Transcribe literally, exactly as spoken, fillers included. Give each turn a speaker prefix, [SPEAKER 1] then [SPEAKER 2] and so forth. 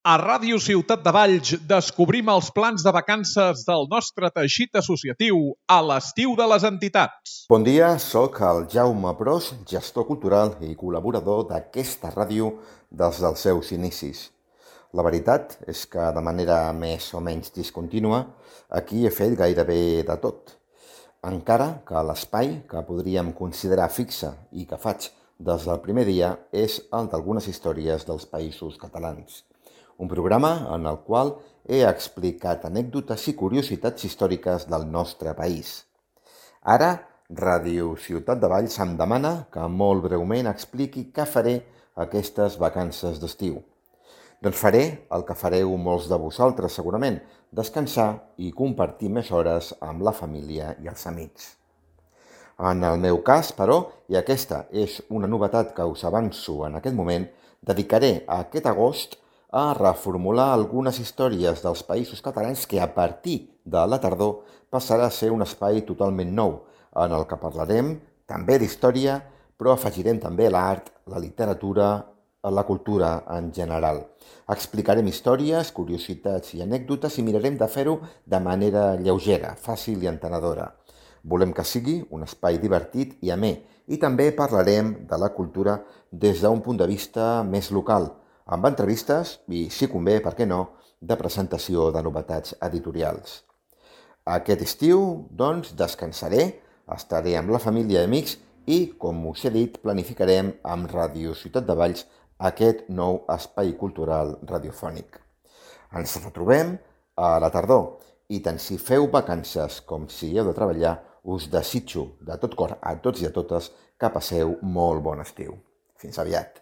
[SPEAKER 1] A Ràdio Ciutat de Valls descobrim els plans de vacances del nostre teixit associatiu a l'estiu de les entitats.
[SPEAKER 2] Bon dia, sóc el Jaume Pros, gestor cultural i col·laborador d'aquesta ràdio des dels seus inicis. La veritat és que de manera més o menys discontínua aquí he fet gairebé de tot. Encara que l'espai que podríem considerar fixe i que faig des del primer dia és el d'algunes històries dels països catalans. Un programa en el qual he explicat anècdotes i curiositats històriques del nostre país. Ara, Ràdio Ciutat de Valls em demana que molt breument expliqui què faré aquestes vacances d'estiu. Doncs faré el que fareu molts de vosaltres segurament, descansar i compartir més hores amb la família i els amics. En el meu cas, però, i aquesta és una novetat que us avanço en aquest moment, dedicaré aquest agost a reformular algunes històries dels països catalans que a partir de la tardor passarà a ser un espai totalment nou, en el que parlarem també d'història, però afegirem també l'art, la literatura, la cultura en general. Explicarem històries, curiositats i anècdotes i mirarem de fer-ho de manera lleugera, fàcil i entenedora. Volem que sigui un espai divertit i amè, i també parlarem de la cultura des d'un punt de vista més local, amb entrevistes i, si convé, per què no, de presentació de novetats editorials. Aquest estiu, doncs, descansaré, estaré amb la família i amics i, com us he dit, planificarem amb Ràdio Ciutat de Valls aquest nou espai cultural radiofònic. Ens retrobem a la tardor i tant si feu vacances com si heu de treballar, us desitjo de tot cor a tots i a totes que passeu molt bon estiu. Fins aviat.